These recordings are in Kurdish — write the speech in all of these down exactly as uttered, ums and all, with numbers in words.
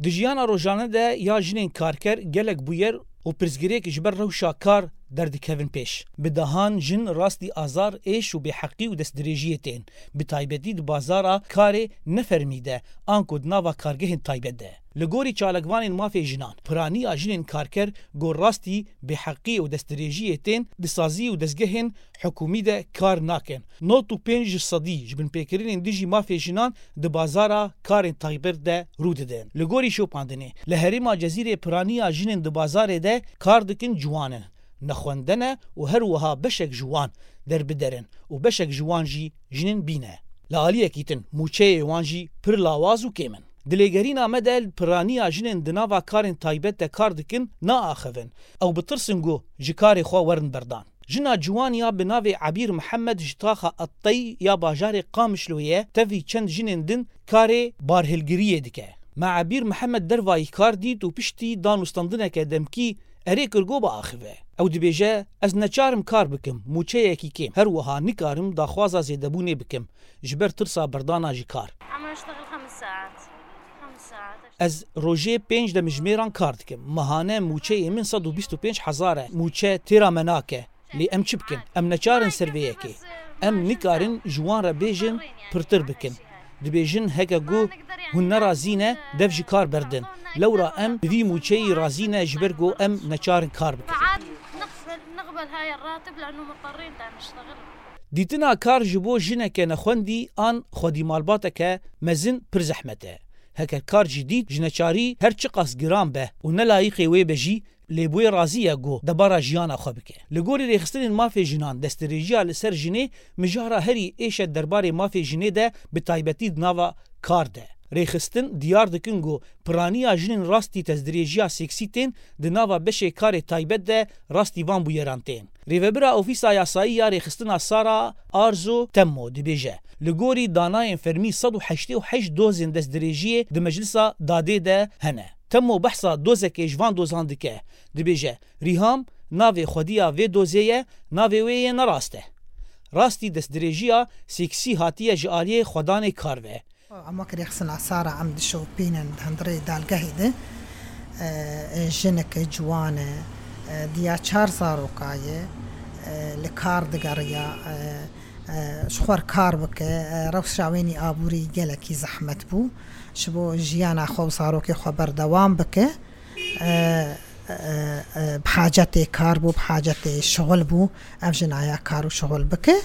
Di jiyana rojane de ya jinên karker gelek bûyer û pirsgirêk ji ber rewşa kar derdikevin pêş. Bi dehan jin rastî azar, êş û bêheqî û destdirêjiyê tên, bi taybetî di bazara karê nefermî de, anku di nava kargehên taybet de. Li gorî çalakvanên mafê jinan, piraniya jinên karker ku rastî bêheqî û destdirêjiyê tên, di sazî û dezgehên hikûmî de kar nakin. Nod û pênc ji sedî ji binpêkirinên dijî mafê jinan di bazara karên taybet de rû didin. Li gorî şopandinê, li herêma Cezîrê piraniya jinên di bazarê de kar dikin ciwan in, nexwendene û her wiha beşek ji wan derbider in û beşek ji wan jî jinên bîne. Li aliyekî din, mûçeyê wan jî pir lawaz û kêm in. Di lêgerîna me de, piraniya jinên di nava karên taybet de kar dikin naaxivin. Ew bi tirs in ku ji karê xwe werin berdan. Jina ciwan ya bi navê Ebîr Mihemed ji taxa Ettey ya bajarê Qamişloyê ye, tevî çend jinên din karê barhilgiriyê dike. Me Ebîr Mihemed dervayî kar dît û piştî danûstandineke demkî erê kir ku biaxive. Ew dibêje, Ez neçar im kar bikim, mûçeyekî kêm. Her wiha nikarim daxwaza zêdebûnê bikim, ji ber tirsa berdana ji kar. عم أشتغل خمس ساعات. خمس ساعات. Ez rojê pênc demjimêran kar dikim. Mehane mûçeyê min sed û bîst û pênc hezar e. Mûçe têra me nake. Lê em çi bikin? Em neçar in ser vê yekê. Em nikarin ji wan re bêjin pirtir bikin. Dibêjin heke ku hûn nerazî ne, dev ji kar berdin. Lewra em bi vî mûçeyî razî ne, ji ber ku em neçar in kar bikin. فعاد نقبل، نقبل هاي الراتب لأنه مضطرين دا نشتغل. Dîtina kar ji bo jineke nexwendî an xwedî malbateke mezin pir zehmet e. Heke kar jî dît, ji neçarî her çiqas giran be û ne layîqê wê be jî, lê bûye razî ye ku debara jiyana xwe bike. Li gorî rêxistinên mafê jinan, destdirêjiya li ser jinê mijara herî êş e derbarê mafê jinê de, bi taybetî di nava kar de. Rêxistin diyar dikin ku piraniya jinên rastî destdirêjiya seksî tên, di nava beşê karê taybet de rastî van bûyeran tên. Rêvebira Ofîsa Yasayî ya Rêxistina Sara Arzo Temmo dibêje, Li gorî danayên fermî sed û heştê û heşt dozên destdirêjiyê di Meclisa Dadê de hene. Temmo behsa dozekê ji van dozan dike. Dibêje, Rîham, navê xwediya vê dozê ye, navê wê yê nerast e. Rastî destdirêjiya seksî hatiye ji aliyê xwedanê kar ve. Em wek rêxistina Sara em dişopînin di hundirê dalgehê de, e, e, jinik ciwan e, e, diya çar zaroka ye, e, li kar digeriya, e, e, ji xwe re kar bike, e, rewşa wênî aborî gelekî zehmet bû. Ji bo jiyana xwe û zarokê xwe berdewam bike. E, e, e, bi hacetê kar bû, bi hacetê şixul bû. Ev jina ya kar û şixul bike.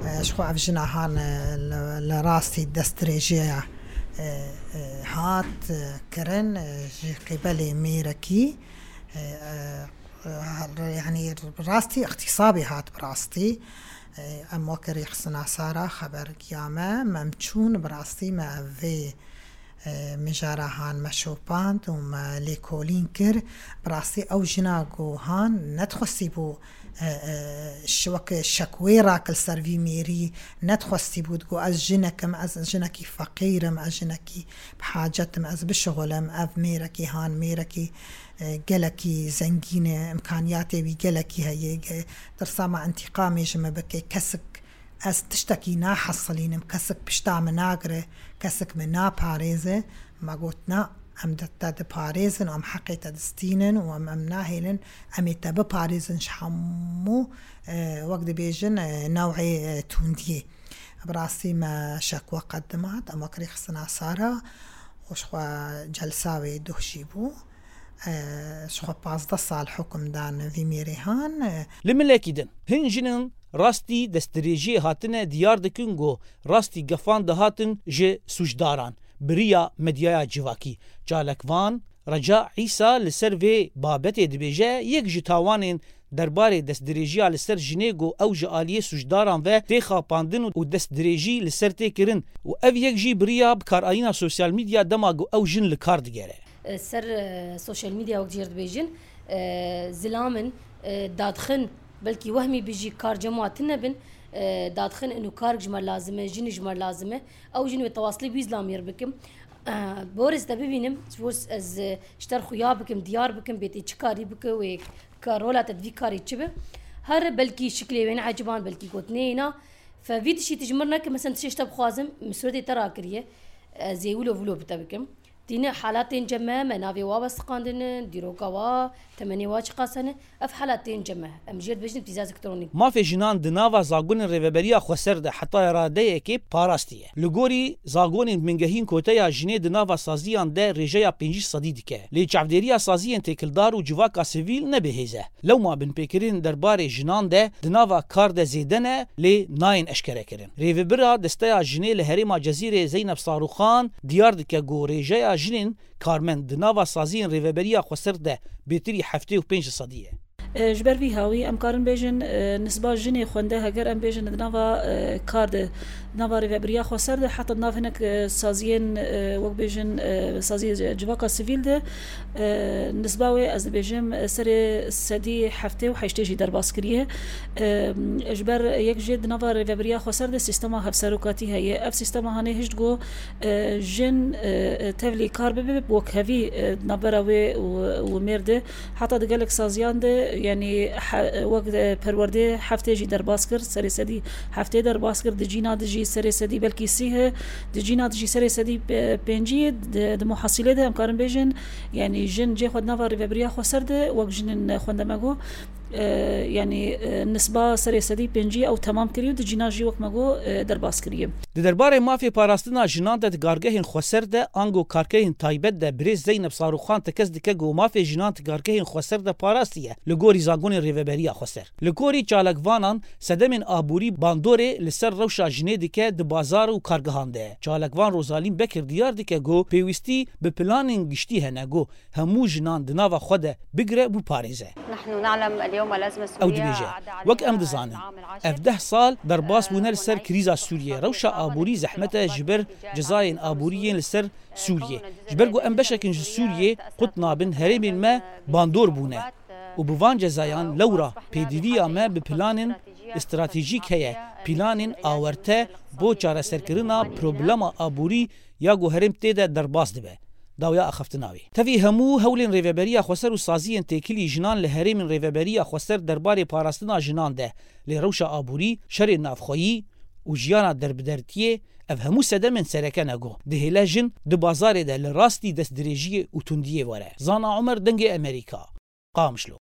E, ji xwe ev jina han, e, li, li rastî destdirêjiya, e, e, hat, e, kirin, e, ji qîbelê mêrekî, e, e, e, yanî rastî îxtîsabê hat bi rastî. E, em wek rêxistina Sara xeber giya me, me em çûn bi rastî me ev vê e, mijara han me şopand û me lêkolîn kir. Bi rastî ew jina ku han nedixwestî bû, e, e, şi-, wek şekwê rakil ser vî mêrî, nedixwestî bû, digot, Ez jinek im, ez jinekî feqîr im, ez jinekî bi hacet im, ez bişixulim, ev mêrekî han, mêrekî, e, gelekî zengîn e, îmkaniyatê wî gelekî heye, ge-, tirsa me întîqamê ji min bike, kesik Ez tiştekî nahesilînim, kesik pişta min nagire, kesik min naparêze. Me got, Na, em di te diparêzin, em heqê te distînin û em, em nahêlin, em ê te biparêzin ji hemû, e, wek dibêjin, e, new'ê, e, tundiyê. Bi rastî me şekwe qedimat, em wek rêxistina Sara û ji xwe celsa wê duh jî bû. E, ji xwe pazdeh sal hukm dan vî mêrê han, e. Li milekî din, hin jinên rastî destdirêjiyê hatine diyar dikin ku rastî gefan dihatin ji sûcdaran bi riya medyaya civakî. Çalakvan Reca Îsa li ser vê babetê dibêje, yek ji tawanên derbarê destdirêjiya li ser jinê ku ew ji aliyê sûcdaran ve tê xapandin û destdirêjî li ser tê kirin û ev yek jî bi riya bikaranîna sosyal medya dema ku ew jin li kar digere. Ser, e, sosyal medya wek jêr dibêjin, e, zilam in, e, dadxin, belkî wehmî bijî kar cem wa tune bin, e, dadxin inu kar ji me lazim e, jin ji me lazim e. Ew jin wê tewaslê wî zilamiyê re bikim. E, borê te bibînim, ji bo ez, e, ji te re xuya bikim, diyar bikim, bê tê çi karî bike wê ka-, rola te di vî karî çi be. Her belkî şiklê wê neeciban, belkî gotinê yê na. Fe vî tiştî tu ji min re neke, mesela tiştê ji te bixwazim, min suretê te rakiriye. Ez ê wilo vilo bi te bikim. Tîne halatên cem me, me navê wa westiqandin, dîroka wa, temenê wa çiqas hene, ev halatên cem me. Em jê dibêjin pîza zîktronîk. Mafê jinan di nava zagonên Rêveberiya Xweser de hetaya radeyekê parastiye. Li gorî zagonên bingehîn koteya jinê di nava saziyan de rêjeya pêncî sedî dike. Lê çavdêriya saziyên têkildar û civaka sivîl ne bêhêz e. Lewma binpêkirin derbarê jinan de di nava kar de zêde ne, lê nayên eşkerekirin. Rêvebira Desteya Jinê li herêma Cezîrê Zeynep Saruxan diyar dike ku rêjeya jinên karmend di nava saziyên Rêveberiya Xweser de bêtirî heftê û pênc sedî ye. E, Ji ber vî hawî em karin bêjin, e, nisba jinê xwende heger em bêjin di nava, e, kar de, di nava rêvebiriya xweser de, heta di nav hinek, e, saziyên, e, wek bêjin, e, saziyê civaka sivîl de, e, nisba wê ez dibêjim, e, serê sedî heftê û heştê jî derbas kiriye. E, Ji ber yek jê di nava rêvebiriya xweser de sîstema hevserokatî heye. Ev sîstema hanê hişt ku, e, jin, e, tevlî kar bibe, bi wekhevî, e, navbera wê û, û mêr de. Heta di gelek saziyan de, yanî he-, wek, e, perwerdê heftê jî derbas kir, serê sedî heftê derbas kir, di cîna di jî serê sedî belkî sî he, di cîna di jî serê sedî pe-, pêncî, di, di muhasîlê de em karin bêjin, yanî jin cê xwe di nava rêvebiriya xweser de wek jinên xwendemego, e, yanî, e, nisba serê sedî pêncî ew temam kiriye û di cîna jî wek me got, e, derbas kiriye. Di derbarê mafê parastina jinan de di kargehên xweser de, ango kargehên taybet de birêz Zeynep Saruxan tekez dike ku mafê jinan di kargehên xweser de parastiye li gorî zagonên Rêveberiya Xweser. Li gorî çalakvanan sedemên aborî bandorê li ser rewşa jinê dike di bazar û kargehan de. Çalakvan Rozalîn Bekir diyar dike ku pêwîstî bi planên giştî hene ku hemû jinan di nava xwe de bigire û biparêze. Ew dibêje, wek em dizanin, ev deh sal derbas bûne li ser krîza Sûriyê. Rewşa aborî zehmet e ji ber cezayên aborî yên li ser Sûriyê. Ji ber ku em beşek in ji Sûriyê qut nabin, herêmên me bandor bûne û bi van cezayan lewra pêdiviya me bi planên stratejîk heye, planên awerte bo çareserkirina problema aborî ya ku herêm tê de derbas dibe. Dawiya axaftina wî. Tevî hemû hewlên Rêveberiya Xweser û saziyên têkilî jinan li herêmên Rêveberiya Xweser derbarê parastina jinan de, lê rewşa aborî, şerên navxweyî û jiyana derbidertiyê, ev hemû sedemên sereke ne ku dihêle jin di bazarê de li rastî destdirêjiyê û tundiyê were. Zana Omer, Dengê Emerîka, Qamişlo.